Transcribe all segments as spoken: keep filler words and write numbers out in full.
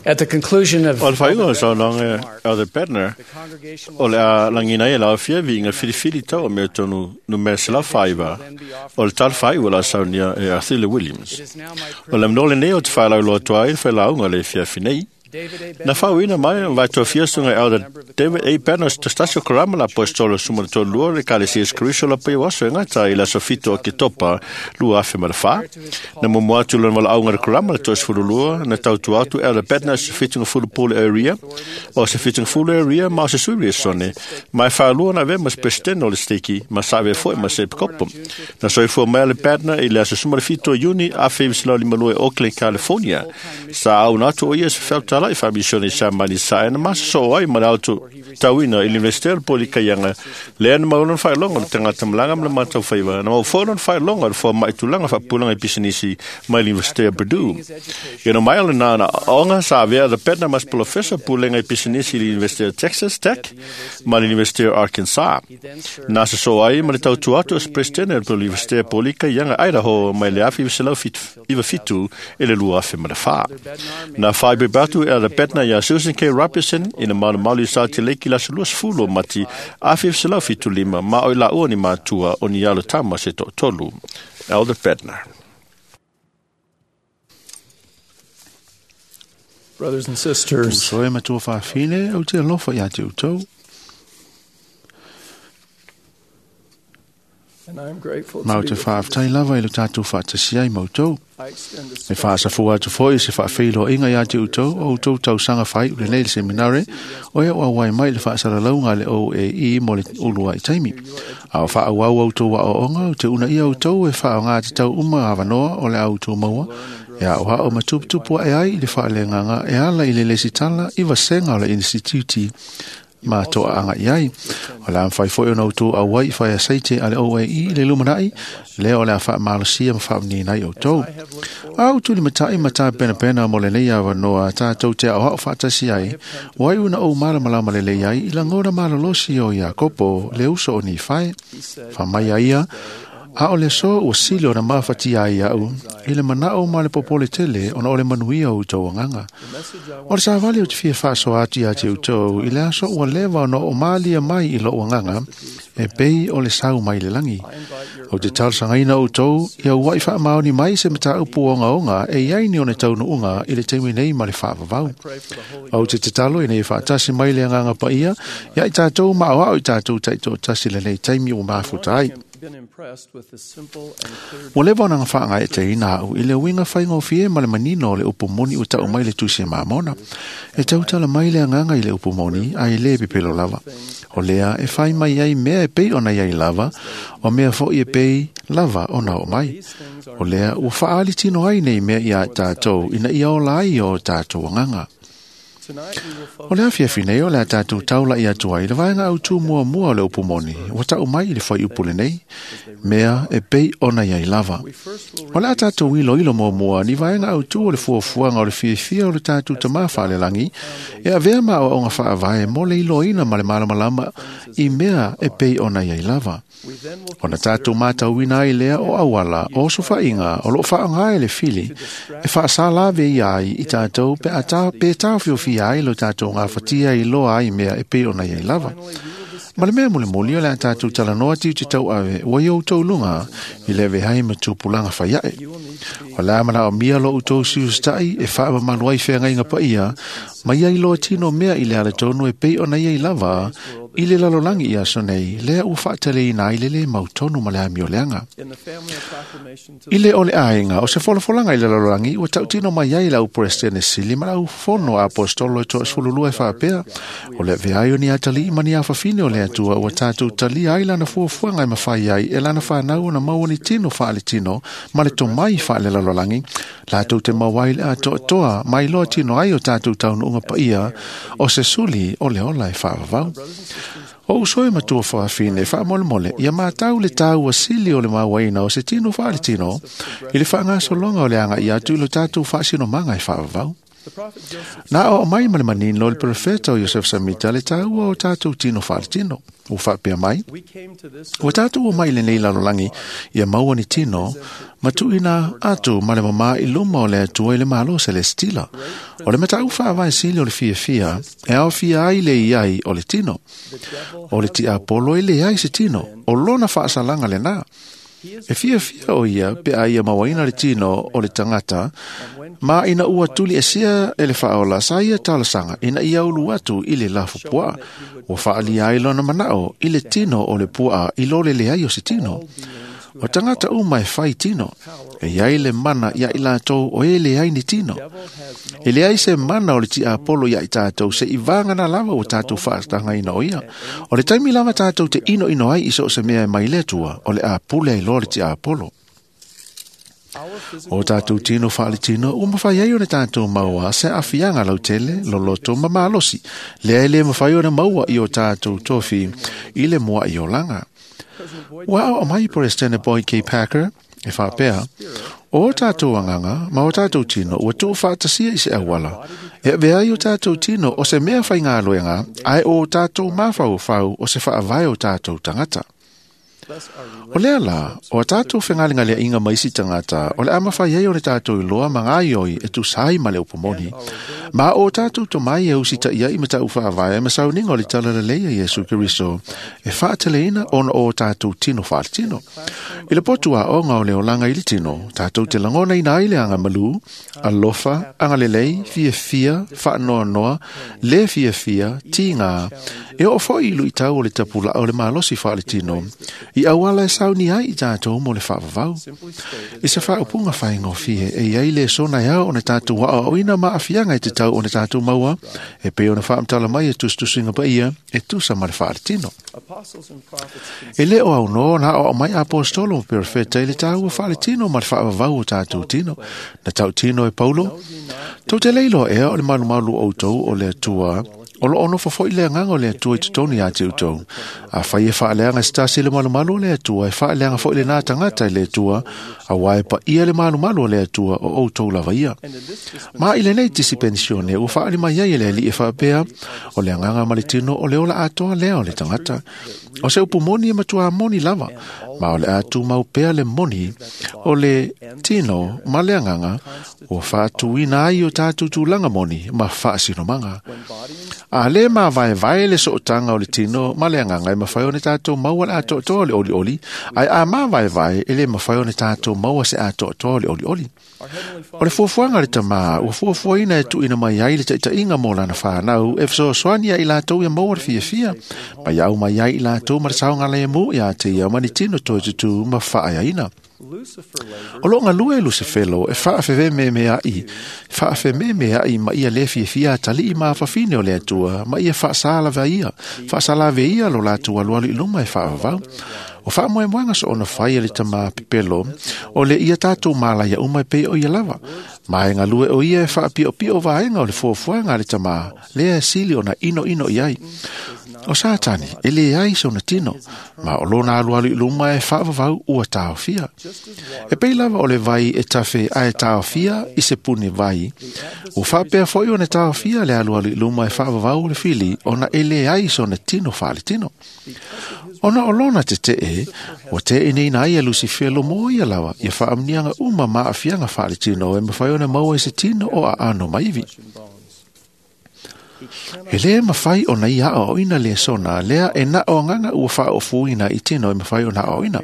At the conclusion of O le faaiuga o le saunoaga Elder Bednar, o le a lagiina ai e le aofia viiga filifili tau o mea tonu numera selau faaiva, o le tala faaiu o le a saunia e Arthur Williams. O le amanoa lenei o te failauloa atu ai le failauga o le afiafi nei. Na faauuina mai o vaitofia susuga Elder David A. Bednar se tasi o karama la aposetolo suma le tolu lua o le Ekalesia Iesu Keriso la paia o aso e gata i le aso fitu o Oketopa lua afe ma le fa. Na muamua atu lona valaauga le karama le toasefulu lua na tautua atu Elder Bednar se fitugafulu pule area o se fitugafulu area ma o se sui liaisone ma e faalua na avea ma se peresetene o le steki ma sa avea foi ma se epikopo. Na soifua mai a le Bednar i le aso suma le fitu o Iuni afe iva selau lima lua e Oakland, California. Sa auna atu o ia se feautala'i faamisione i Samani sa e na masasoo ai ma le aotauina i le Universite o le Polikaiaga lea na mau lona faailoga o le tagata malaga ma le mataufaiva na mau foi lona faailoga o le foama'i tulaga faapupulaga i pisinisi mai le Universite o Purdue. Ia na mai o lena na aoga sa avea le Bednar ma se polofesa pulega i pisinisi i le Universite o Texas Tech ma le Universite o Arkansas. Na sasoo ai ma le tautua atu o se peresetene o le Universite o Polikaiaga Idaho mai le afe iva selau iva fitu i le lua afe ma le fa. Na faaipoipo atu e Elder Bednar iā Susan K. Robertson i le malumalu i Salt Lake i le aso luasefulu o Mati afe iva selau fitu lima ma o i laua ni matua o ni alo tama se toatolu. Elder Bednar. Brothers and sisters, Uso e matua faafine, ou te alofa ia te outou. and I'm grateful Ma to o be te with you. whaaftai lava i le tātou whaatasi ai mautou. I extend a E special whaasafua atu foi se whaawheiloainga ia te outou, o outou tausaga whai u lenei le seminare, o ia ua wai mai le whaasalalauga le O A E mo le ulua i taimi. A o whaauau outou wa o onga, o te una ia outou e whaonga te tau uma awanoa o le au outou maua, e a oha o matuputupu e ai i le whaalenganga e ala i le lesitala i vasenga o le instituti ma toa anga i ai. O le amwhai foi o na outou au ai whai a seite a le O A E i le lumanai, lea o le a whaamalosia ma whaamni o outou. A utu li matai mata pena pena mo le nei awanoa tātou te au hao whaatasi ai, wai una o malamalama le lei ai, i langona malalosi o Iakopo le uso o ni whai, whamai a ia, a o le so ua sili o na mawhati ai au, i le manao ma le popole tele ona o le manuia o outou anganga. O le savali o te fia whaaso atu ia te outou, i le aso ua lewa ona o malia mai i lo anganga, e pei o le sau mai le langi. O te talosangaina outou, ia uai whaamaoni mai se mataupu o ongaonga, e iai ni o ne taunuunga i le taimi nei ma le whaavavau. O te tatalo i nei whaatasi mai le anganga paia, ia i tātou maoao i tātou taito tasi le nei taimi o mafuta ai. been impressed with the simple and clear Ua leva ona whaanga e te ina au i le uinga whaingofie ma le manino o le upu moni o tau mai le tusi e mamona. E tautala mai le anganga i le upu moni a i le pepelo lava. O lea e whai mai ai mea e pei ona iai lava, o mea fo i e pei lava ona o mai. O lea ua whaali tino ai nei mea ia tātou ina ia ola ai o tātou anganga. Tonight we will focus O le afiafi nei o le a tātou taula i atu ai, le vaenga au tū mua mua o le upu moni, ua tau mai i le whai upu lenei, mea e pei ona iai lava. O le a tātou ilo ilo mua mua, ni vaenga au tū o le fuafuaga o le fiafia o le tātou tamā whaalelangi, e avea ma o onga whaavae mo le iloina ma le malamalama i mea e pei ona iai lava. we then will O na tātou mātauina ai lea o awala, o sofainga, o lo whaanga ai le fili, e whaasalave i ai i tātou pe a tā, pe tāwhiowhi ai lo tātou ngā whatia i loa ai mea e pei ona iai lava. Ma le mea mole moli o le a tātou talanoa tiu te tau ave, ua i outou lunga, i le vehai ma tupulanga whaiae. O la mana o mia lo outou siustai e whaamamalu ai whengainga paia, mai ai loa tino mea i le ale tonu e pei ona iai lava, i le lalolangi i aso nei, lea ua whaatele ina ai lele mautonu ma le amio leanga. in the family of proclamation to I le ole aiga o se folafolanga i le lalolagi ua tautino mai ai lau presidene sili ma lau fono apostolo e toasefululua e faapea o le veai o ni atalii ma ni afafine o le Atua ua tatou talia ai lana fuafuaga e mafai ai e lana fanau ona maua ni tino faaletino ma le tomai faalelalolagi latou te maua ai le atoatoa mai loa tino ai o tatou taunuuga paia o se suli o le ola e faavavau. O uso e matua whaafine, whaamolemole, ia mātau le tāua sili o le mauaina o se tino whaaletino, i le whaangasolonga o le anga i atu i lo tātou whaasino manga e whaavavau. Na o mai ma le manino le profeta o Iosef Samita le taua o tātou tino whaaletino. O whaapea mai, o tātou o mai lenei lalolagi ia maua ni tino, matuina atu ma le mama i luma o le atua i le malo celestila. O le matau whaavae sili o le fiafia, e ao fia ai le iai o le tino. O le tiapolo e le ai se tino, o lona whaasalanga le nā. E fiafia o ia pe a ia mawaina le tino o le tangata, ma ina ua tuli e sia e le whaola sa ia talasanga ina ia ulu atu i le lafu pua. Ua whaalia ai lona manao i le tino o le pua i lole le ai o se tino. O tangata uma e whai tino, e iai le mana ia i lātou o e le ai ni tino. E le ai se mana o le tiapolo ia i tātou se i vāngana lava o tātou whaatanga ina o ia. O le taimi lava tātou te ino ino ai i so se mea e mai le atua, o le apule ai loa le tiapolo. O tātou tino whaale tino, o mawhai ai o le tātou maua se afianga lautele, loloto ma malosi. Lea e le mawhai o le maua i o tātou tofi i le mua i o langa. Ua o mai President Boyd K. Packer, e whaapea, o tātou anganga, ma o tātou tino, ua tō whaatasia i se awala. E vea i o tātou tino o se mea whai ngā loenga, ai o tātou mawhau whau o se whaavae o tātou tangata. O lea la, o tātou whengalinga inga maisi tangata, o le amawhai ai o le tātou i loa ma ngā ioi e tusai ma le upomoni. Ma o tātou to mai e usita ia i mata uwhaavae ma sauninga o le talaleleia Iesu Keriso, e whaateleina ona o tātou tino whaaletino. I le potu a onga o le olanga i le tino, tātou te langona ina ai le anga malu, alofa, anga lelei, fia fia, whaanoa noa, le fia fia, tinga, e o fo ilu i tau o le tapula o le malosi whaaletino, i awala e sauni ai i tātou mo le whaavavau. I se whaopunga whaingofie e iai le sona iau o ne tātou waa o ina ma afianga i te tau o ne tātou maua, e pe o ne whaamtala mai e tustusinga pa ia, e tusa ma le whaaletino. E le o au no, nā o mai apostolo mo perfeta i le tāua whaaletino ma le whaavavau o tātou tino. Na tau tino e Paulo, tau te leilo ea o le malumalu o tau o le atua, o lo ono fofoi le anganga o le atua i totonu ia te utou. A whai e whaaleanga stasi le malumalu o le atua, e whaaleanga fo i le nā tangata i le atua, a wae pa ia le malumalu o le atua o outou lava ia. Ma i le nei tisi pensione, ua whaali mai ai e le ali e whaapea, o le anganga ma le tino o le ola atoa lea o le tangata. O se upu moni e matua moni lava, ma o le atu mau pea le moni o le tino ma le anganga, o whaatuina ai o tātou tūlanga moni ma whaasinomanga. A le ma vai vai le sootanga o le tino ma le anganga e mawhai o ne tātou maua le atoatoa le oli oli, ai a ma vai vai e le mawhai o ne tātou maua se atoatoa le oli oli. O le fuafuanga le tamā, ua fuafuaina e tuina mai ai le taitainga mō lana whānau, e fesoasoani ia i lātou ia maua le fiafia, mai au mai ai i lātou ma le saonga le mū ia te ia mani tino toi tutu ma whaaiaina. O lo ngalue e Lucifelo e whaafewe me mea i, whaafe me mea i ma ia le fiafia tali i maafafine o le atua, ma ia whaasala vea ia, whaasala vea ia lo lātua lualu i luma e whaavavau. O whaamoemoenga so ona whai e le tama pepelo, o le ia tātou mālaia uma e pei o ia lava. Mai ngalue o ia e whaapio pio vaenga o le fuafuanga le tama, lea e sili ona ino ino iai. O Satani, e le ai sona tino, ma o lona alu alu i luma e whaavavau ua tāofia. E pei lava o le vai e tawhe a e tāofia i se pune vai, o whaapea foi o ne tāofia le alu alu i luma e whaavavau o le fili, ona e le ai sona tino whaale tino. Ona o lona te te e, o te e nei nai a Lucifero mo ia lawa, ia whaamnianga uma maafianga whaale tino e mawhai ona maua i se tino o a ano maivi. E le mawhai o nei aa o ina le sona, lea e na o nganga ua wha o fuina i tino e mawhai o na o ina.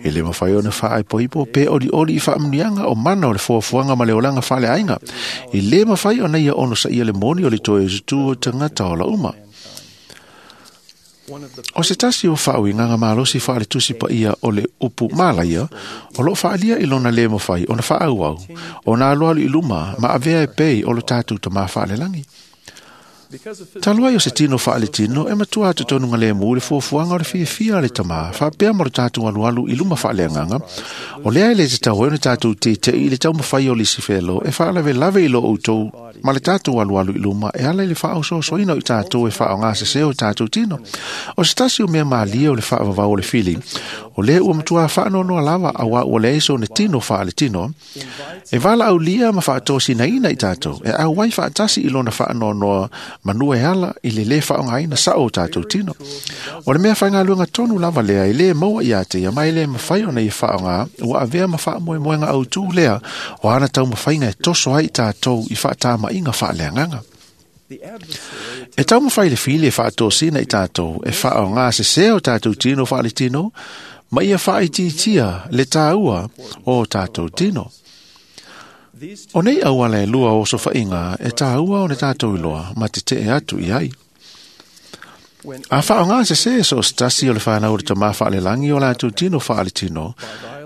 E le mawhai o na wha poipo pe oli oli i whaamnianga o mana o le fuafuanga ma le olanga whale ainga. E le mawhai o nei ono sa ia le moni o le toe zutu o tangata o la uma. O se tasi o whau i nganga malosi whaale tusi pa ia o le upu mālaia, o lo whaalia i lona le mawhai o na whaau au, o nā loalu i luma ma avea e pei o lo tātou ta mā whaale langi. Talua i o se tino whaale tino, e matua atu tonu ngā le mū le fuafuanga o le fiafia le tamā, whaapea mo le tātou alualu i luma whaale anganga, o lea e le te tau e o ne tātou te te i le tau mawhai o Lisifelo, e whaalave lave i lo outou Ma le tātou alualu i luma e ala i le faaosoasoaina o i tātou e faaaogasesē o tātou tino. O se tasi o mea malie o le faavavau o le fili, o lea ua matuā faanoanoa lava auā ua leai sona tino faaletino, e valaaulia ma faatosinaina i tātou, e auai faatasi i lona faanoanoa manua e ala i le lē faaaogaina sao o tātou tino. O le mea faigaluega tonu lava lea e lē maua ia te ia ma e lē mafai ona ia faaaogā ua avea ma faamoemoega autū lea o ana taumafaiga e toso ai i tātou i faatamaʻiga faaleagaga. E taumafai le fili e faatosina i tātou e faaaogasesē o tātou tino faaletino ma ia faaitiitia le tāua o tātou tino. O nei auala e lua o sofaʻiga e tāua ona tātou iloa ma tetee atu i ai. A faaaogasesē so o se tasi o le fanau o le tamā faalelagi o latou tino faaletino,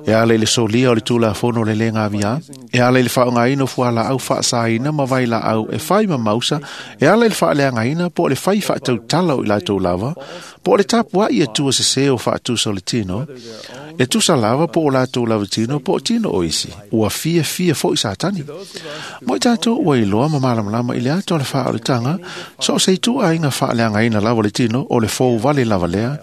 e ala i le solia o le tulafono o le lē gaviā, e ala i le faaaogaina o fualaau faasāina ma vailaau e fai ma mausa, e ala i le faaleagaina po o le fai faatautala o i latou lava, po o le tapuaʻi atua sesē o faatusa o le tino, e tusa lava po o latou lava tino po o tino o isi, ua fiafia foʻi Satani. Mo i tātou ua iloa ma malamalama i le ata o le faaoletaga, so o se ituaiga faaleagaina lava o le tino, o le fou vale lava lea,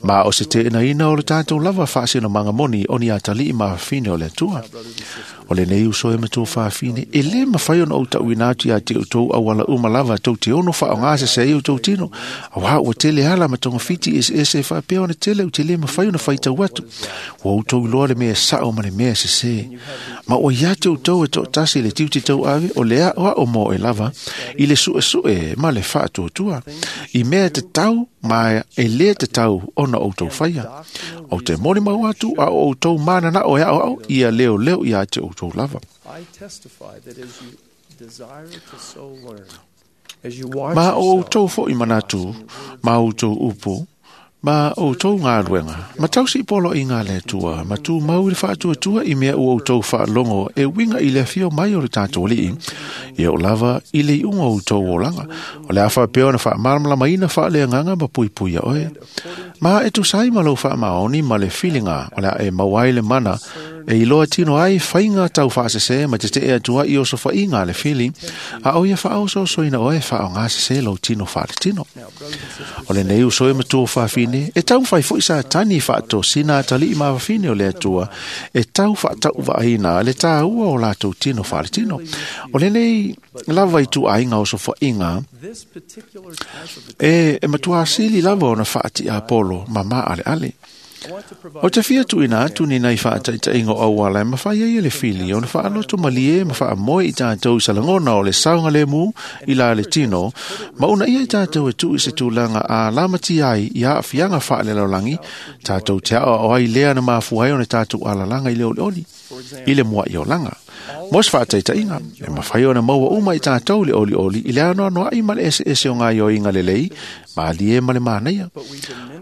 ma o se teenaina o le tātou lava faasinomaga moni o ni atalii mafafine o le Atua. O lenei uso e matua fafine, e lē mafai ona ou taʻuina atu iā te outou auala uma lava tou te ono faaaogasese ai outou tino, auā ua tele ala ma togafiti eseese e faapea ona tele ou te lē mafai ona faitau atu. Ua outou iloa le mea saʻo ma le mea sesē. Ma ua ia te outou e toʻatasi le tiute tauave o le aʻoaʻo mo e lava i le suʻesuʻe ma le faatuatua, i mea tatau ma e lē tatau ona outou faia. Ou te molimau atu a o outou mananaʻo e aʻoaʻo ia leoleo iā te outou lava. I testify that as you desire to so learn, as you watch Ma o yourself outou foʻi manatu, ma outou upu, ma outou galuega, ma tausi poloaiga a le Atua, ma tumau i le faatuatua i mea ua outou faalogo e uiga i le afio mai o le tatou Alii, ia o lava i le iuga o outou olaga, o le a faapea ona faamalamalamaina faaleagaga ma puipuia oe. Ma e tusa ai ma lou faamaoni ma le filiga o le a e maua ai le mana e iloa tino ai faiga taufaasesē ma tetee atu ai i osofaʻiga a le fili, a o ia faaosoasoaina oe e faaaogasesē lou tino faaletino. O lenei uso e matua fafine, e taumafai foʻi Satani e faatosina atalii mafafine o le Atua, e tau faatauvaaina le tāua o latou tino faaletino. O lenei lava ituaiga osofaʻiga this particular type of e, e matuā sili lava ona faatiapolo ma maaleale. I want to provide O te fia tuʻuina atu ni nai faataʻitaʻiga o auala e mafai ai e le fili ona faaloto malie ma faamoe i tātou i salagona o le saogalēmū i la le tino, ma una ia i tātou e tuu i se tulaga a lamatia ai i aafiaga faalelolagi, tātou te aoao ai lea na mafua ai ona tātou alalaga i le olioli, i le muaʻi olaga. Mo se faataʻitaʻiga, e mafai ona maua uma i tātou le olioli i le anoanoaʻi ma le eseese o gaioiga lelei, malie ma le manaia.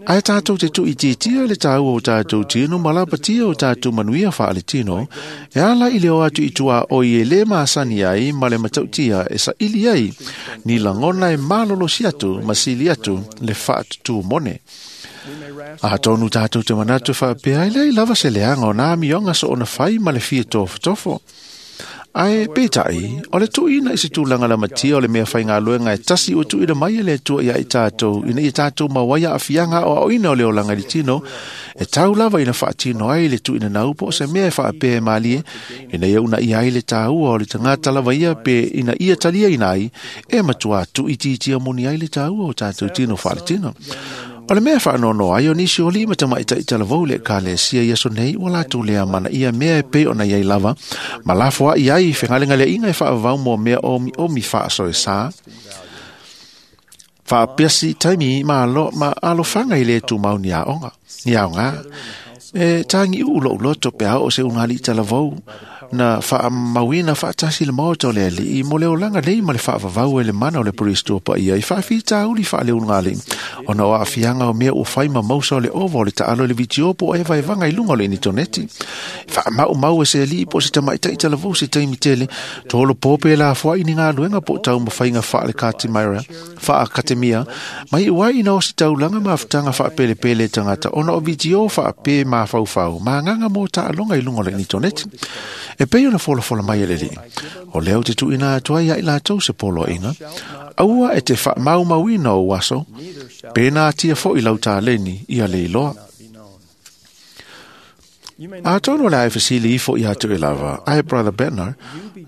Ae tātou te tuʻitiitia le tāua o tātou tino ma lapatia o tātou manuia faaletino, e ala i le o atu i tua o i e lē masani ai ma le matautia e saʻili ai, ni lagona e malolosi atu ma sili atu le faatutū mone. we may A tonu tātou te manatu faapea ai leai lava se leaga o nā amioga so ona fai ma le fia tofotofo. Ae peitai, o le tuʻuina i se tulaga lamatia o le mea faigaluega e tasi ua tuuina mai e le Atua ia i tātou, ina ia tātou maua ai aafiaga aoaoina o le olaga i le tino, e tau lava ina faatino ai le tuuina nau po o se mea e faapea e malie, ina ia unaia ai le tāua o le tagata lava ia pe ina ia taliaina ai, e matuā tuuitiitia moni ai le tāua o tātou tino faaletino. O le mea faanoanoa ai o nisi o alii ma tamaitai talavou i le ekalesia i aso nei ua latou lea manaia mea e pei ona iai lava, ma lafoaʻi ai fegalegaleaiga e faavavau mo mea omiomi faasoesā, faapiasi taimi ma alo, ma alofaga i le tumau ni aoga, ni aogā. E tagiʻuʻu loʻu loto pe a oo se ugalii talavou na faamauina faatasi le maota o le Alii mo le olaga nei ma le faavavau e le mana o le Kristo paia i faafitauli faaleulugalii, ona o aafiaga o mea ua fai ma mausa o le ova o le taalo i le vitio po o evaevaga i luga o le initoneti. Faamaumau e se alii po o se tamaʻitaʻi talavou se taimi tele, tolo po pe lafoaʻi ni galuega po o taumafaiga faalekatimaira faakatemia, mai uai ina o se taulaga mafutaga faapelepele e tagata ona o vitio faapē mafaufau ma agaga mo taaloga i luga o le initoneti. E pei ona folafola mai e le Alii. O lea o te tuuina atu ai ia i latou se poloaiga, aua e te faamaumauina ou aso, pe natia foi lau taleni ia le iloa. Atonu o le a e fesili ifo ia te oe lava, ae Brother Bednar,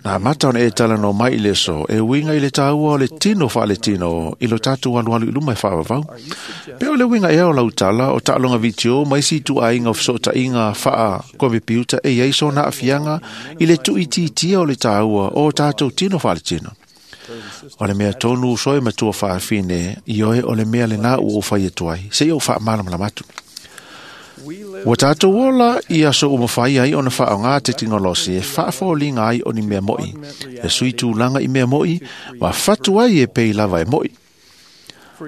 na amata ona e talanoa mai i le aso e uiga i le taua o le tino faaletino i lo tatou alualu i luma e faavavau. Pe o le uiga ea o lau tala o taaloga vitio ma isi ituaiga o fesootaiga faakomepiuta e i ai sona aafiaga i le tuuitiitia o le taua o tatou tino faaletino. O le mea tonu uso e matua faafine i oe o le mea lenā ua ou fai atu ai, seia ou faamalamalama atu. Ua tatou ola i aso ua mafai ai ona faaaoga tekinolosi e faafoliga ai o ni mea mo'i, e sui tulaga i mea mo'i, ma fatu ai e pei lava e mo'i.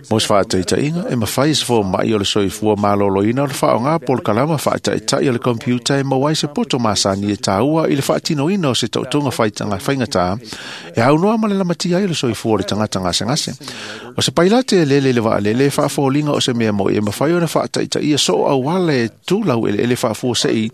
Mo se faataitaiga, e mafai e se foma'i o le soifua maloloina o le faaaoga polokalama faataitai o le computer e maua ai se poto masani e taua i le faatinoina o se taotoga faigatā e aunoa ma le lamatia ai o le soifua o le tagata gasegase. O se pailate e lele i le vaalele e faafoliga o se mea mo'i e mafai ona faataitaia soo auala e tulau eleele faafuasei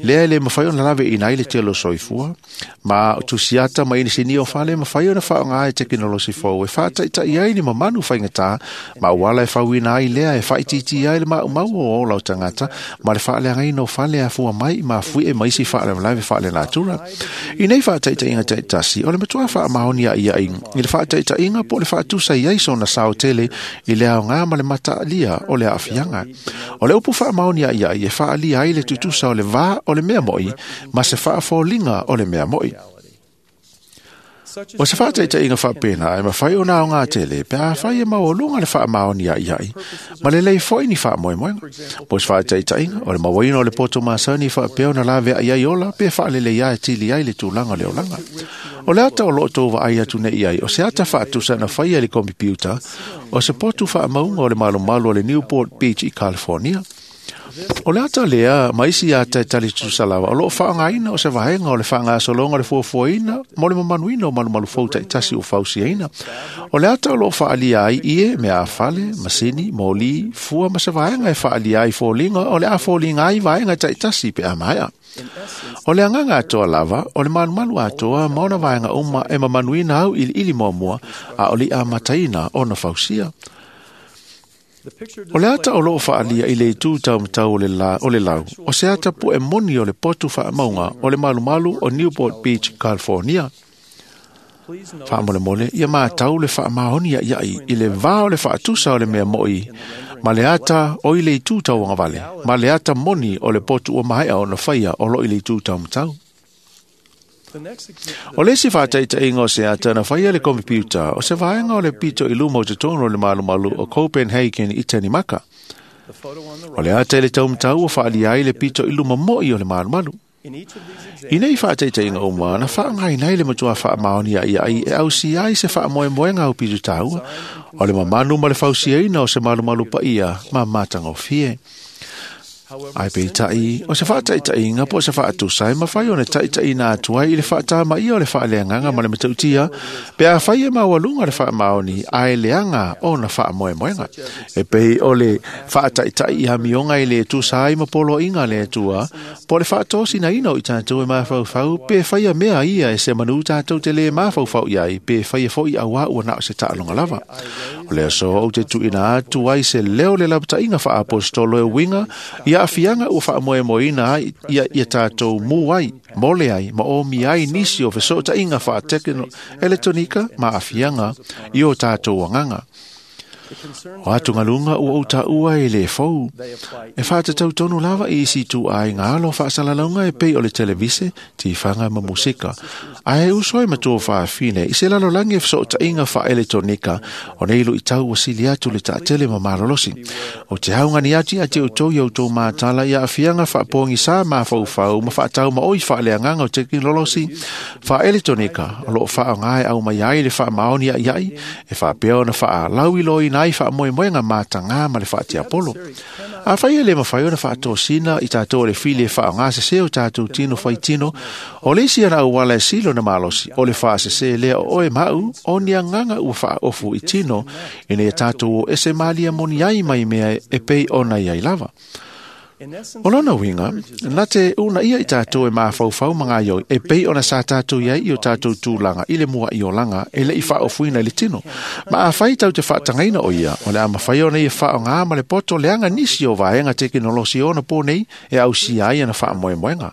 lea e le mafai ona laveina ai le tele o soifua, ma o tusiata ma inisinia o fale e mafai ona faaaoga e tekinolosi fou e faataitai ai ni mamanu faigatā ma auala e fauina ai lea e faaitiitia ai le maumau o ola o tagata ma le faaleagaina o fale e afua mai i mafuie ma isi faalavelave faalenatura. I nei faataitaiga taitasi, o le matua faamaoni aiai i le faataitaiga po o le faatusa i ai sona sao tele i le aoga ma le mataalia o le aafiaga. O le upu faamaoni aiai e faaalia ai le tutusa o le va o le mea mo'i ma se faafoliga o le mea mo'i. O se faataitaiga faapena e mafai ona aoga tele pe afai e maualuga le faamaoni aiai ma lelei foi ni faamoemoega. Mo se faataitaiga, o le mauaina o le poto masani faapea ona laveai ai ola pe faalelei atili ai le tulaga o le olaga. O le ata o loo tou vaai atu nei ai, o se ata faatusa na faia i le kompiuta, o se potu faamauga o le malumalu o le Newport Beach i California. O le ata lea, ma isi ata e tali tutusa lava, o loo faaaogaina o se vaega o le faagasologa o le fuafuaina mo le mamanuina o malumalu fou taitasi ua fausiaina. O le ata o loo faaalia ai ie, mea fale, masini, moli, fua ma se vaega e faaalia ai foliga o le a foliga ai vaega taitasi pe a maea. O le agaga atoa lava, o le malumalu atoa ma ona vaega uma e mamanuina au iliili muamua a o le amataina ona fausia. O le ata o loo faalia i le itu taumatau o le, la, o le lau, o se ata pu'e moni o le potu faamauga o le malumalu o Newport Beach, California. Faamolemole, ia matau le faamaoni aiai i le va o le faatusa o le mea mo'i ma le ata o i le itu tauagavale, ma le ata moni o le potu ua maea ona faia o loo i le itu taumatau. O le isi faataitaiga o se ata na faia le kompiuta, o se vaega o le pito i luma o totonu o le malumalu o Copenhagen i Tenimaka. O le ata i le taumatau ua faalia ai le pito i luma mo'i o le malumalu. I nei faataitaiga uma, na faaaogaina ai le matua faamaoni aiai e ausia ai se faamoemoega au pito taua, o le mamanu ma le fausiaina o se malumalu paia ma matagofie. Ai peitai, o se faataitaiga po o se faatusa e mafai ona taitaiina atu ai i le faatamaia o le faaleagaga ma le matautia, pe afai e maualuga le faamaoni ae leaga ona faamoemoega. E pei o le faataitai i amioga i le tusa ai ma poloaiga a le Atua, po o le faatosinaina o i tatou e mafaufau, pe faia mea ia e se manu tatou te lē mafaufau i ai, pe faia foi auā ua na o se taaloga lava. O le aso ou te tuuina atu ai se leo le lapataiga faaapostolo e uiga i aafiaga ua faamoemoeina ai ia, ia tatou mu ai, mole ai, ma omi ai nisi o fesootaiga faatekonolojia ma aafiaga i o tatou agaga. O atugaluga ua ou taua e le fou. E faatatau tonu lava i isi ituaiga alo faasalalauga e pei o le televise, tifaga ma musika. Ae uso e matua faafine i se lalolagi e fesootaiga faaeletonika o nei luitau ua sili atu le taatele ma malolosi. O te augani atu ia te outou i outou matala i aafiaga faapogisā mafaufau ma faataumaoi faaleagaga o tekinolosi faaeletonika o loo faaaoga e aumai ai le faamaoni aiai e faapea ona faalauiloina ai faamoemoega matagā ma le faatiapolo. Afai e le mafai ona faatosina i tatou o le fili e faaaogasese o tatou tino faitino, o le isi ana auala e sili ona malosi, o le faasese lea o oe ma au, o ni agaga ua faaofu i tino, ina ia tatou o ese malia moni ai mai mea e pei ona iai lava. O lona uiga, na te una ia i tātou e mafaufau ma gaioi, e pei ona sa tātou iai i o tātou tūlanga i le mua i olaga e le i faaofuina i le tino. Ma afai tau te faatagaina o ia, o le a mafai ona ia faaaogā ma le poto leaga nisi o vaega tekenolosi ona po nei e ausia ai ana faamoemoega.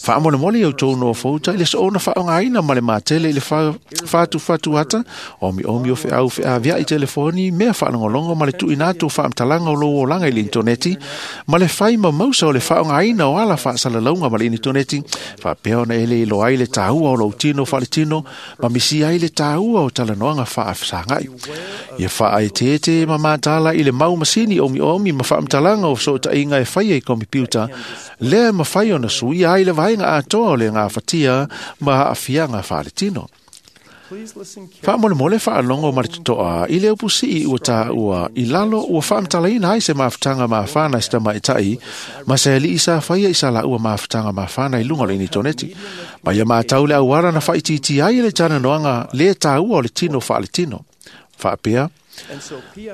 Faamolemole i outou nofouta i le soona faaaogāina ma le matele i le fatufatu ata, omiomi o feau feaveai telefoni, mea faalogologo ma le tuuina atu o faamatalaga o lou olaga i le initoneti, ma le fai ma mausa o le faaaogāina o ala faasalalauga ma le initoneti, faapea ona e le iloa ai le tāua o lou tino faaletino, ma misia ai le tāua o talanoaga faafesagai. Ia faaeteete ma matala i le mau masini omiomi ma faamatalaga o fesootaiga e faia i komipiuta, lea e mafai ona suia ai le vaega atoa o le gafatia ma aafiaga faaletino. Faamolemole faalogo ma le totoa i le upusii ua taua i lalo ua faamatalaina ai se mafutaga mafana i se tamaitai ma se alii sa faia i sa laua mafutaga mafana i luga o le initoneti. Ma ia matau le auala na faaitiitia ai le talanoaga le taua o le tino faaletino. Faapea,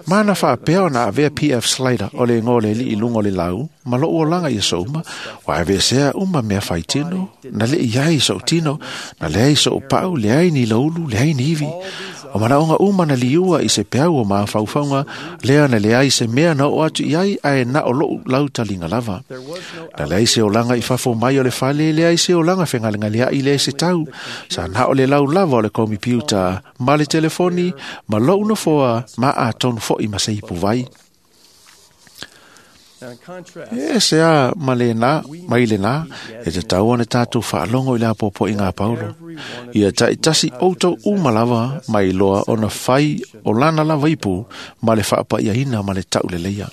ma na faapea ona avea P F Slater o le igoa o le alii i luga o le lau ma lou olaga ia souma, ua aveesea uma mea faitino, na lei ai sou tino, na leai sou pau, leai ni laulu, leai ni ivi. O manaoga uma na liua i se peau o mafaufauga, lea na leai se mea na oo atu i ai, ae na o lou lautaliga lava. Na leai se olaga i fafo mai o le fale, leai se olaga fegalegaleai, leai se tau. Sa na o le lau lava o le komipiuta, ma le telefoni, ma lou nofoa, ma atonu foi ma se ipu vai. E se a ma le nā, mai le nā, e te tau ana tātou faalogo i le apoapo i ngā paulo. Ia taitasi outou uma lava mai loa ona fai o lana lava ipu ma le faapaiaina ma le tauleleia.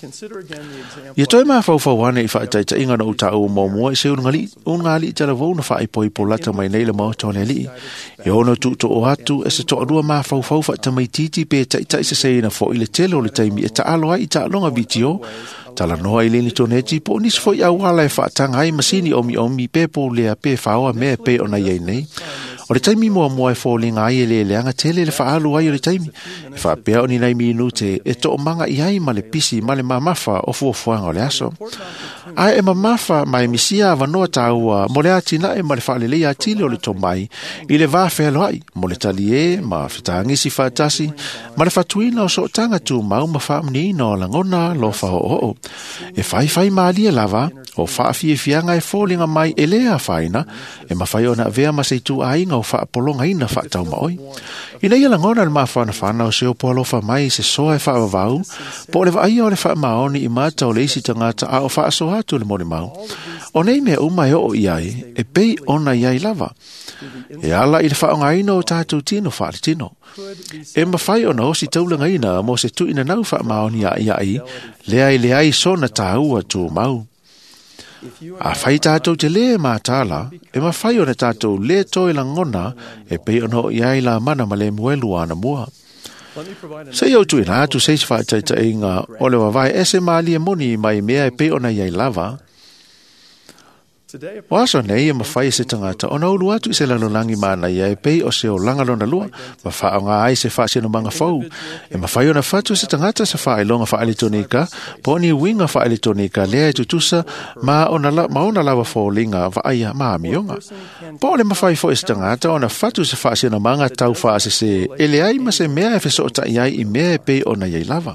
Ia toe mafaufau ane i faataitaiga na utaʻu muamua i se ulugalii talavou na faaipoipo lata mai nei le maota o le alii. E ono tuutoo atu e se toalua mafaufau faatamaititi pe taitai seseina foʻi le tele o le taimi e taalo ai i taaloga vitio, talanoa i le initoneti po o nisi foi auala e faataga ai masini omiomi pe poulea pe faoa mea e pei ona iai nei. O le taimi muamua e foliga ai e leleaga tele le faaalu ai o le taimi, e faapea o ni nai minute e toomaga i ai ma le pisi ma le mamafa o fuafuaga o le aso. Ae e mamafa ma e misia avanoa tāua mo le atinae ma le faaleleia atili o le tomai i le va fealoai mo le taliē ma fetagisi faatasi ma le fatuina o sootaga tumau ma faamuniina o lagona lofa oooo. E faifai malie lava o faafiafiaga e foliga mai e lē afaina e mafai ona avea ma se ituaiga o faapologaina faataumaoi. Ina ia lagona le mafanafana o se opo alofa mai se soa e faavavau po o le vaaia o le faamaoni i mata o le isi tagata a o faasoa atu le molimau. O nei mea uma e oo i ai, e pei ona iai lava. E ala i le faaaogaina o tātou tino faaletino. E mafai ona osi taulagaina mo se tuuina nau faamaoni aiai, lea e leai sona tāua tumau. A fai tātou te lē mātāla, e mafai ona tātou lē toe lagona e pei ona oo i ai la mana ma le muelu ana mua. Se i au tuuina atu se isi faataitaiga o le vavae ese malie moni mai mea e pei ona iai lava. O aso nei e mafai e se tagata ona ulu atu i se lalolagi manaia e pei o se olaga lona lua, ma faaaoga ai se faasinomaga fou. E mafai ona fatu se tagata se faailoga faaeletonika, po o ni uiga faaeletonika lea e tutusa ma ona, la, ma ona lava foliga vaaia ma amioga. Po o le mafai foi se tagata ona fatu se faasinomaga tau faasese e leai ma se mea e fesootai ai i mea e pei ona iai lava.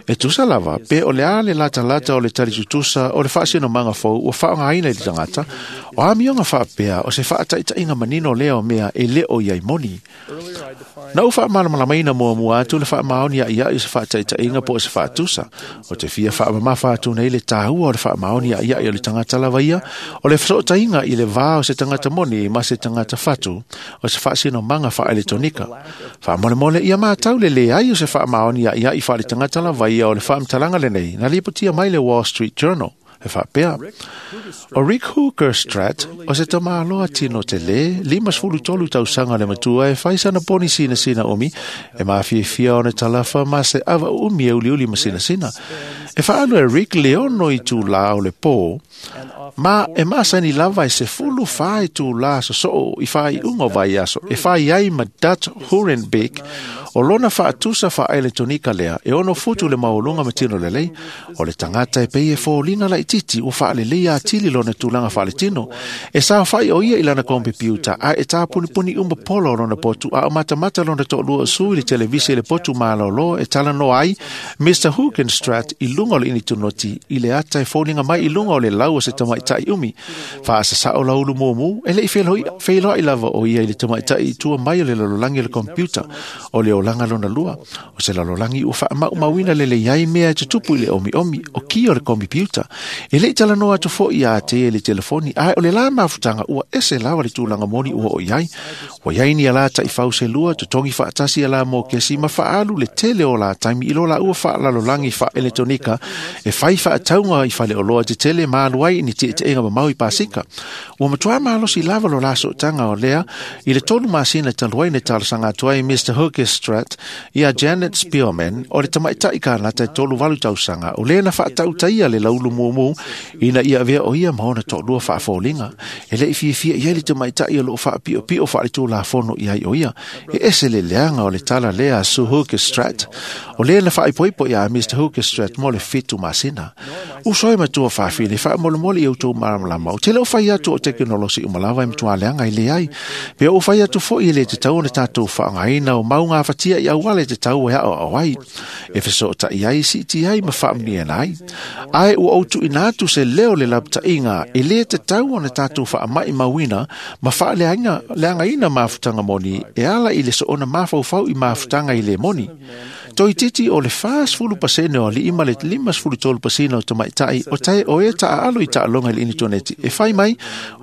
E tusa lava, pe o le a le latalata o le talitutusa o le faasinomaga fou ua faaaogaina i le tagata, o amioga faapea o se faataitaiga manino lea o mea e le o iai moni. Na ou faamalamalamaina muamua atu le faamaoni aiai o se faataitaiga po o se faatusa. O te fia faamamafa atu nei le tāua o le faamaoni aiai o le tagata lava ia, o le fesootaiga i le vā o se tagata moni ma se tagata fatu, o se faasinomaga faaeletonika. Faamolemole ia matau le leai o se faamaoni aiai faaletagata lava ia o le faamatalaga lenei na lipotia mai le Wall Street Journal. E faapea, o Rick Hookerstrat o se tamāloa tino te lē, lima sefulu tolu tausaga le matua e fai sana poni sinasina umi, e mafiafia ona talafa ma se ava umi e uliuli ma sinasina. E faalu e Rick le ono i tūlā o le pō, ma e masani lava e se fulu fā i tūlā sosoo i whaiunga o vaiaso, e whai ai ma Dutch Hurenbeck O lona faatusa faaeletonika lea e ono futu le maualuga ma tino lelei. O le tagata e pei e foliga laititi ua faaleleia atili lona tulaga faaletino. E saofai o ia i lana kompiuta a e tapunipuni uma polo o lona potu a o matamata lona toalua o sui i le televise i le potu malōlō e talanoa ai Mister Hoogenstrat i luga o le initonoti i le ata e foliga mai i luga o le lau o se tamaitai umi. Faasasao laulu mumu e lei feiloai lava o ia i le tamaitai i tua mai o le lalolagi o le kompiuta o le olaga lona lua. O se lalolagi ua faamaumauina lelei ai mea e tutupu i le omiomi o ki o le kompiuta. E lei talanoa atu fo'i ia te e le telefoni ae o le la mafutaga ua ese lava le tulaga moni ua o i ai. Ua iai ni ala taifau se lua totogi faatasi ala mo kesi ma faaalu le tele o la taimi i lo la ua faalalolagi faaeletonika e fai faatauga i faleoloa tetele ma alu ai i ni tietieega mamao i pasika. Ua matuā malosi lava lo la sootaga o lea i le tolu masina talu ai na talosaga atu ai Mister Hoogestrat ia Janet Spearman o le tamaitai kanata e tolu valu tausaga o lea na faatautaia le laulu mumu ina ia avea o ia ma ona toalua faafoliga. E lei fiafia i ai le tamaitai o loo faapiopio faaletulafono i ai o ia. E ese le leaga o le tala lea a Sue Hoogestrat o lea na faaipoipo ia Mister Hoogestrat mo le fitu masina. Uso e matua faafine faamolemole i outou malamalama o tele o fai atu o tekenolosi uma lava e matua leaga i leai. Pe o fai atu fo'i e le tatau ona tatou faaaogaina o mauga afatia i auala e tatau e aoao ai. E fesootai ai siiti ai ma faamanuiaina ai. Ae ua ou tuuina atu se leo le lapataiga e lē tatau ona tatou faamaʻimauina ma faaleagaina mafutaga moni e ala i le soona mafaufau i mafutaga i le moni. Toititi o le fasefulu pasene o alii ma le limasefulu tolu pasene o tamaitai o tae o e taaalo i taaloga i le initoneti e fai mai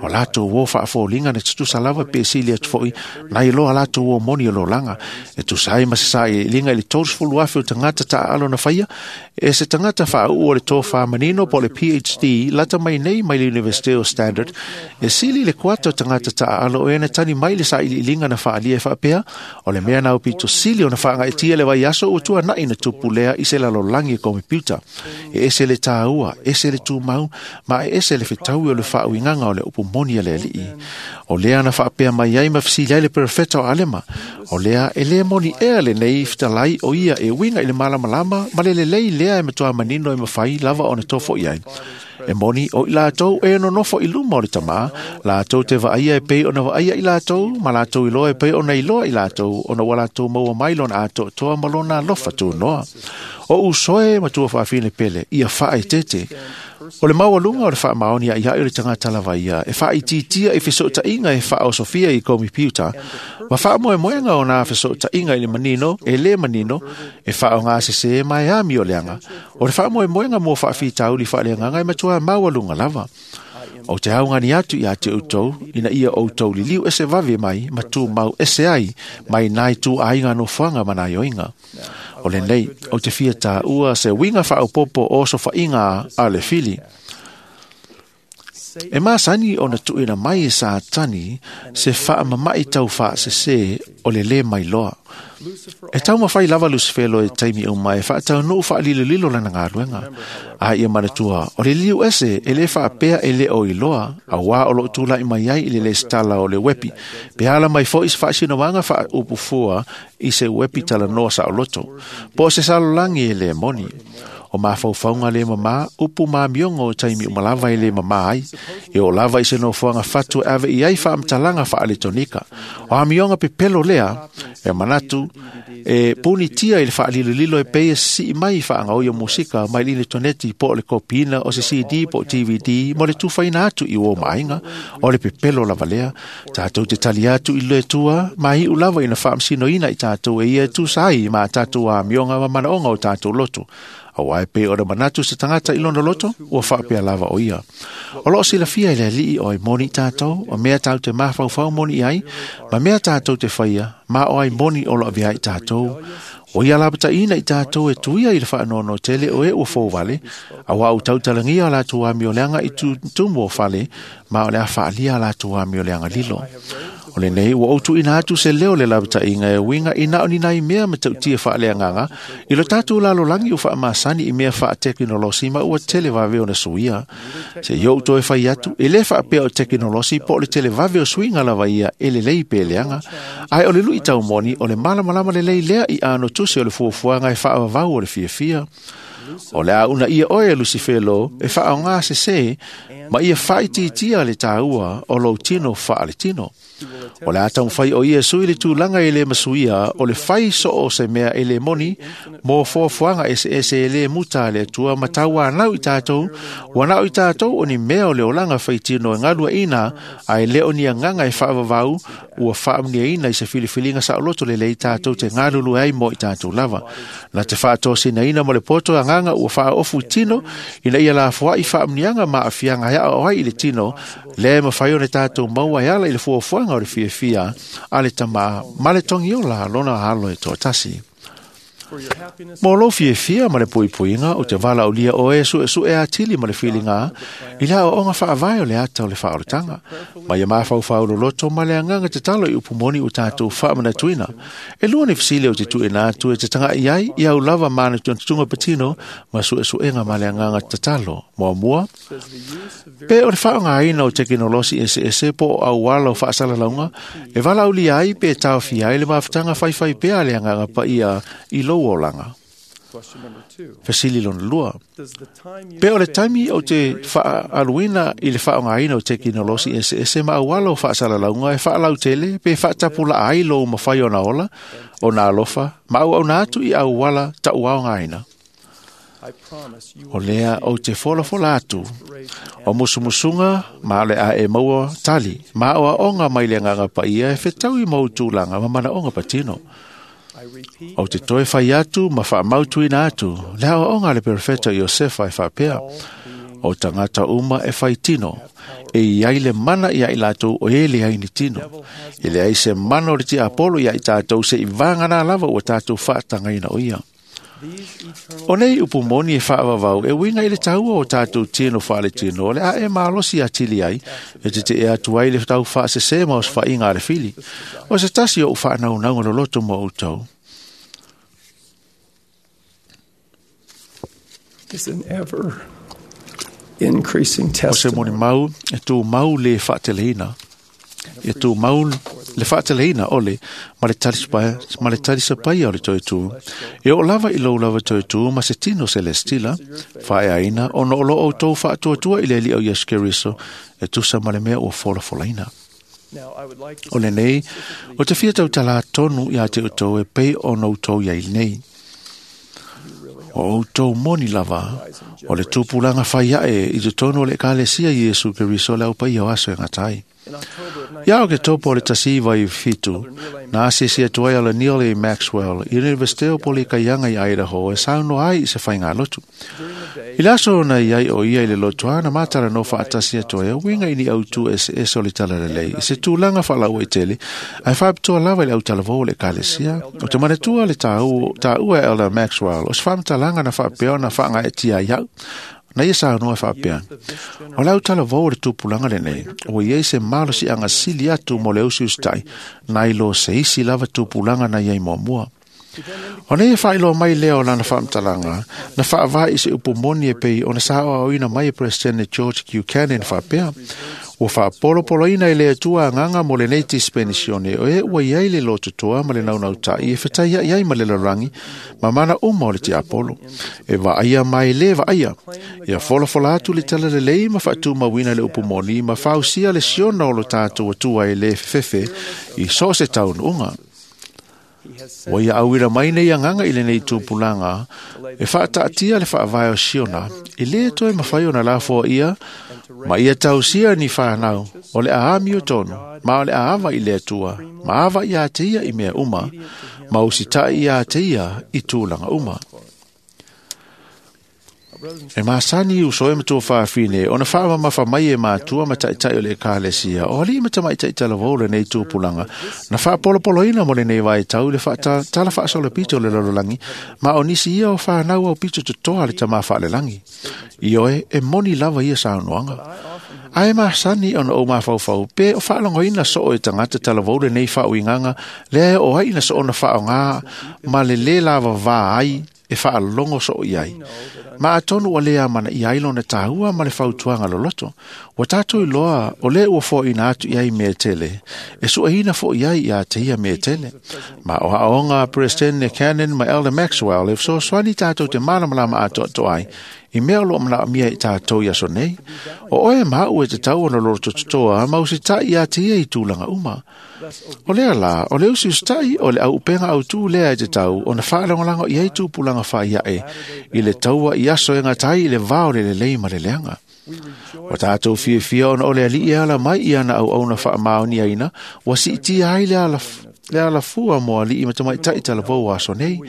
o latou uo faafoliga na tutusa lava pe sili atu fo'i nai loa latou uo moni o lolaga e tusa ai ma se sailiiliga i le tolusefulu afe o tagata taaalo na faia e se tagata faauu o le tofā manino po o le P H D lata mai nei mai le University o Standard e sili le kuata o tagata taaalo o e na tani mai le sailiiliga na faalia e faapea o le mea na aupito sili ona faagaetia le vaiaso ua tuana'i na tupu lea i se lalolagi e kompiuta. E ese le tāua, ese le tumau, ma e ese le fetaui o le faauigaga o le upu moni a le alii. O lea na faapea mai ai ma fesili ai le perofeta o Alema. O lea e lē moni ea lenei fetalai o ia e uiga i le malamalama ma le lelei lea e matuā manino e mafai lava ona tofo'i ai. E moni o i latou e nonofo i luma o le tamā, latou te vaaia e pei ona vaaia i latou, ma latou iloa e pei ona iloa i latou, ona ua latou maua mai lona atoatoa ma lona alofa tunoa. O usoe matua faafine pele, ia faaeteete. O le maualuga o le faamaoni aiai o le tagata lava ia, e faaitiitia i fesootaiga e faaosofia i komipiuta, ma faamoemoega o nā fesootaiga i le manino, e lē manino, e faaogasesē ma e ami o leaga. O le faamoemoega mo faafitauli faaleagaga e matua maualuga lava. O te augani atu ia te outou, ina ia outou liliu ese vave mai, ma tumau ese ai, mai nai tuaiga nofoaga ma nai oiga. O lenei, o te fia tāua se uiga faaopopo o sofaiga a le fili. E masani ona tuuina mai e Satani se faamama'i taufaasesē o le lē mailoa. E taumafai lava Lusifelo e taimi uma e faataunuu faalilolilo lana galuega. A ia manatua, o le liliu ese e lē faapea e lē o iloa, auā o loo tula'i mai ai i le lesitala o le uepi. Pe ala mai fo'i se faasinomaga faaupufua i se uepi talanoa saoloto. Po o se salolagi e lē moni. O mafaufauga le mamā, upu mamioga o taimi uma lava e lē mamā ai. E o lava i se nofoaga fatu e ave i ai faamatalaga faaletonika. O amioga pepelo lea, e manatu, e punitia i le faalilolilo e pei e sii mai faagaoi o musika mai le initoneti po o le kopiina o se C D po o D V D mo le tufaina atu i uo maaiga. O le pepelo lava lea, tatou te tali atu i le Atua, ma iu lava ina faamasinoina i tatou e ia e tusa ai ma tatou amioga ma manaoga o tatou loto. Auā e pei ona manatu se tagata i lona loto, ua faapea lava o ia. O loo silafia i le alii o ai moni i tatou, o mea tatou te mafaufau moni i ai, ma mea tatou te faia, ma o ai moni o loo avea i tatou. O ia lapataina i tatou e tuia i le faanono tele o e ua fouvale, auā ua tautalagia o latou amioleaga i tutumu o fale, ma o le a faalia a latou amioleaga lilo. O lenei ua outuina atu se leo le lavataʻiga e uiga i na o ni nai mea ma taʻutia faaleagaga i lo tatou lalolagi ua faamasani i mea faatekinolosi ma ua televave ona suia. Se i ou toe fai atu, e lē faapea o tekinolosi po o le televave o suiga lava ia e lelei pe leaga, ae o le luʻi taumoni o le malamalama lelei lea i ano tusi o le fuafuaga e faavavau o le fiafia. O le a una ia oe e Lusifelo e faaogā sesē ma ia faaitiitia le tāua o lou tino faaletino. O le a taumafai o ia sui le tulaga e lē masuia o le fai soo o se mea e lē moni mo fuafuaga eseese e lē muta a le Atua ma tauanau i tatou, ua na o i tatou o ni mea o le olaga faitino e galuaʻina ae lē o ni agaga e faavavau ua faamuniaina i se filifiliga saoloto lelei tatou te galulue ai mo i tatou lava. Na te faatosinaina mo le poto agaga ua faaofu i tino ina ia lafoaʻi faamuniaga ma aafiaga e aao ai i le tino lea e mafai ona tatou maua e ala i le fuafuaga o le fiafia a le Tamā ma le togiola lona alo e toatasi. Mo lou fiafia ma le puipuiga o te valaaulia oe e suʻesuʻe atili ma le filiga i le aoaoga faavae o le ata o le faaolataga ma ia mafaufau loloto ma le agaga tatalo i upu moni ua tatou faamanatuina. E lua ni fesili o te tuuina atu e te tagaʻi ai i au lava manatunatuga patino ma suʻesuʻega ma le agaga tatalo. Muamua, pe o le faaaogāina o tekinolosi eseese po o auala o faasalalauga e valaaulia ai pe taofia ai le mafutaga faifai pea a le agaga paia i lou olaga. Fesili lona lua, pe o le taimi o te faaaluina i le faaaogāina o tekinolosi eseese ma auala o faasalalauga e faalautele pe faatapulaa ai lou mafai ona ola, ona alofa ma auauna atu i auala taʻuaogaina. O lea ou te folafola atu o musumusuga ma le a e maua tali ma aoaoga mai le agaga paia e fetaui ma ou tulaga ma manaoga patino. Ou te toe fai atu ma faamautuina atu le aoaoga a le perofeta Iosefa e faapea, o tagata uma e fai tino, e iai le mana ia i latou o e leai ni tino. E leai se mana o le tiapolo ia i tatou se i vagana lava ua tatou faatagaina o ia. O nei upu moni e faavavau e uiga i le taua o tatou tino faaletino o le a e malosi atili ai e teteʻe atu ai le tau faasesē ma osofaiga a le fili. O se tasi o ou faanaunauga loloto mo outou. Is an ever increasing O se testimony molimau e tumau le faateleina. E tumau le faateleina ole ma le talisapaia, ma le talisapaia o le toetū. E oo lava i lou lava toetū ma se tino selestila, faaeaina ona o lo outou faatuatua i le Alii o Iesu Keriso e tusa ma le mea ua folafolaina. Now, I would like to O lenei, o te fia tautalā tonu ia te outou e pei ona outou iai nei. O outou moni lava, o le tupulaga fai aʻe i totonu o le Ekalesia Iesu Keriso le aupaia o aso e gata ai. in October of Ia o ke topo o le tasi iva i fitu, na asisi atu ai ala Neil A. Maxwell i Universite o Polikaiaga i Idaho e saunoa ai i se faigalotu. I le aso ona i ai o ia i le lotoa na matala no faatasi atu ai a uiga i ni autū eseese o le talalelei i se tulaga faalauaitele ae faapitoa lava i le autalavou o le Ekalesia. O te manatua le tāua tāua e Elder Maxwell o se faamatalaga na faapea ona faagaetia ai au na ia saunoa e faapea. O le autalavou o le tupulaga lenei, ua iai se malosiaga sili atu mo le usiusitai, nai lo se isi lava tupulaga na iai muamua. O nei e faailoa mai lea o lana faamatalaga, na faavae i se upu moni e pei ona saoaoina mai e Presidente George Buchanan faapea, ua faapolopoloina e le Atua agaga mo lenei dispenisione o e ua iai le lototoa ma le naunautai e fetaiaʻi ai ma le lalolagi ma mana uma o le tiapolo. E vaaia mai le vaaia, ia folafola atu le talalelei ma faatumauina le upu moni ma fausia le siona o lo tatou Atua e lē fefefe i so o se taunuuga. Ua ia auina mai nei agaga i lenei tupulaga e faataatia le faavae o Siona e lē toe mafai ona lafoaia ma ia tausia ni fanau o le aami o tonu ma o le aava i le Atua ma ava ia te ia i mea uma ma usitaʻi ia te ia i tulaga uma. E masani uso e matua faafine ona faamamafa mai e matua ma taʻitaʻi o le Ekalesia o alii ma tamaitaʻi talavou lenei tupulaga na faapolopoloina mo lenei vaitau i le faatala faasolopito o le lalolagi ma o nisi ia o fanau aupito totoa a le Tamā faalelagi. Ioe e moni lava ia saunoaga. Ae masani ona ou mafaufau pe o faalogoina soo e tagata talavou lenei faauigaga lea e oo ai ina soona faaaogā ma le lē lavavā ai e faalogo soo i ai. Ma atonu ua lē amanaia ai lona tāua ma le fautuaga loloto. Ua tatou iloa o lē ua foaina atu i ai mea tele, e sueina foʻi ai ia te ia mea tele. Ma o aoaoga a Peresetene Cannon ma Elder Maxwell e fesoasoani tatou te malamalama atoatoa ai i mea o loo manaomia i tatou i aso nei. O oe ma au e tatau ona lotototoa ma usitaʻi ia te ia i tulaga uma. O lea la, o le usiusitaʻi o le auupega autū lea e tatau ona faalagolago i ai tupulaga faaiaʻe i le taua i aso e gata ai i le vā o le lelei ma le leaga. O tatou fiafia ona o le alii e ala mai i ana auauna faamaoniaina ua siitia ai le ala le alafua mo alii ma tamaitai talavou aso nei.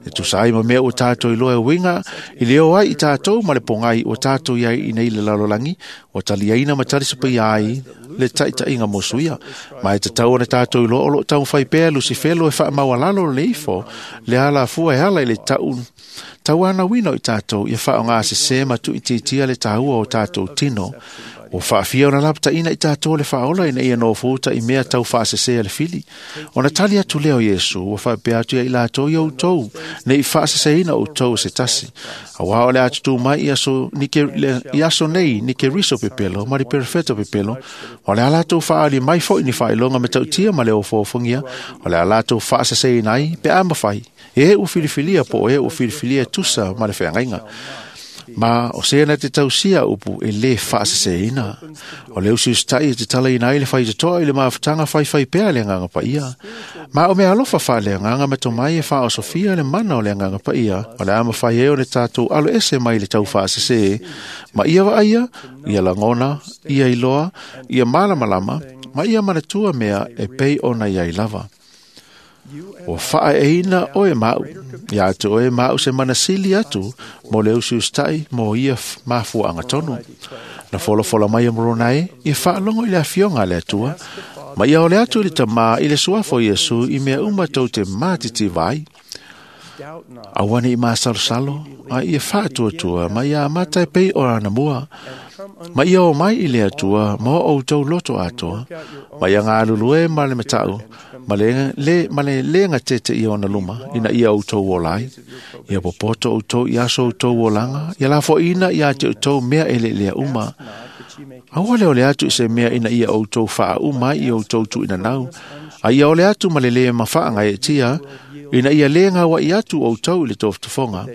E tusa ai ma mea ua tatou iloa e uiga i le o ai i tatou ma le pogai ua tatou iai i nei le lalolagi, ua taliaina ma talisapaia ai le taitaiga mo suia. Ma e tatau ona tatou iloa o loo taumafai pea Lusifelo e faamaualalo le ifo le alafua e ala i le tau tauanauina o i tatou ia faaaogā sesē ma tuuitiitia le tāua o tatou tino. Ua faafia ona lapataʻina i tatou le faaola ina ia nofoua i mea tau faasesē a le fili. Ona tali atu lea o Iesu ua faapea atu ia i latou ia outou nei faaseseina outou se tasi. Auā o le atutū mai i aso, ni ke, le, i aso nei ni Keriso pepelo ma le perefeto pepelo. O le a latou faaali mai foʻi ni faailoga matautia ma le ofoofogia. O le a latou faaseseina ai pe a mafai. E ua filifilia po o e ua filifilia tusa ma le feagaiga. Ma o se na te tausia upu e lē faaseseina. O le usiusitaʻi e te talaina ai le faitotoa i le mafutaga faifai pea le agaga paia. Ma o mea alofa faaleagaga ma tomai e faaosofia le mana o le agaga paia, o le a mafai ai o le tatou alo ese mai le tau faasesē, ma ia vaaia, ia lagona, ia iloa, ia malamalama, ma ia manatua mea e pei ona iai lava. Ua faaeina oe maʻu, ia atu oe maʻu se manasili atu mo le usiusitaʻi mo ia mafuaaga tonu. Na folafola mai e Morona e, ia faalogo i le afioga a le Atua, ma ia ole atu i le tamā i le suafa o Iesu i mea uma tou te matitiva ai. Aua ne i masalosalo, a ia faatuatua ma ia amata e pei o ana mua. Ma ia o mai i le Atua ma o outou loto atoa, ma ia galulue ma le mataʻu, ma le, le, ma le lega tete ia ona luma, ina ia outou ola ai. Ia popoto outou i aso outou olaga, ia lafoina ia te outou mea e leelea uma. Aua le ole atu i se mea ina ia outou faauma ai i outou tuuinanau, a ia ole atu ma le lē mafaaga e tia, ina ia lē gauaʻi atu outou i le tofotofoga,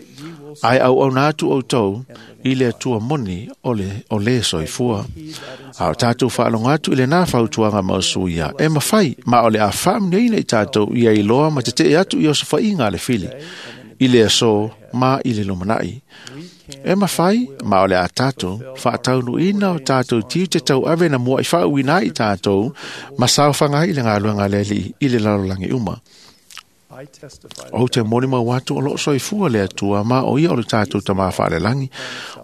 ae auauna atu outou i le Atua moni o le, o lē soifua. A o tatou faalogo atu i lenā fautuaga ma osuia, e mafai, ma o le a faamuniaina i tatou ia iloa ma tetee atu i osofaiga a le fili, i le aso ma i le lumanaʻi. E mafai, ma o le a tatou, faataunuuina o tatou tiute tauave na muaʻi faauuina ai i tatou, ma saofaga ai i le galuega a le Alii i le lalolagi uma. Ou te molimau atu o loo soifua le Atua ma o ia o le tatou tamā faalelagi.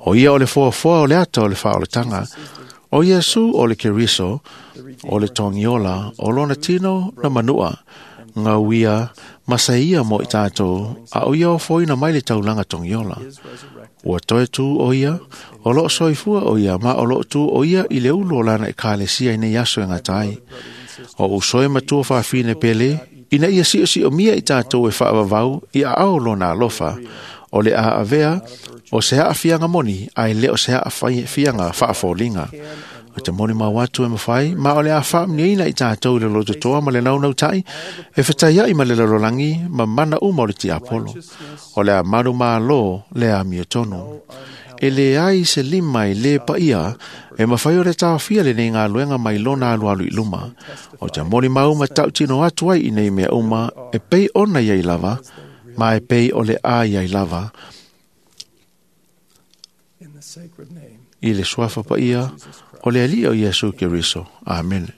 O ia o le foafoa o le ata o le faaolataga. O Iesu o le Keriso, o le togiola, o lona tino na manua, gauia ma saia mo i tatou, a o ia ofoina mai le taulaga togiola. Ua toe tū o ia, o loo soifua o ia, ma o loo tū o ia i le ulu o lana ekalesia i nei aso e gata ai. O usoe matua faafine pele, ina ia siosio mia i tatou e faavavau i aao lona alofa, o le a avea o se aafiaga moni, ae le o se aafiaga faafoliga. O te moni mau atu e mawhai, ma o le a whaamniaina i tātou i le lototoa ma le naunautai, e whetaiai ma le lalolagi ma mana uma o le tiapolo. O le a manu mālo le a mia tonu. E le ai se lima i le paia, e mawhai o le tāwhia le nei ngā luenga mai lona alu alu i luma. O te moni mau ma tautino atu ai i nei mea uma, e pei ona iai lava, ma e pei o le a iai lava. I le suafa paia o le Alii o Iesu Keriso. Amen.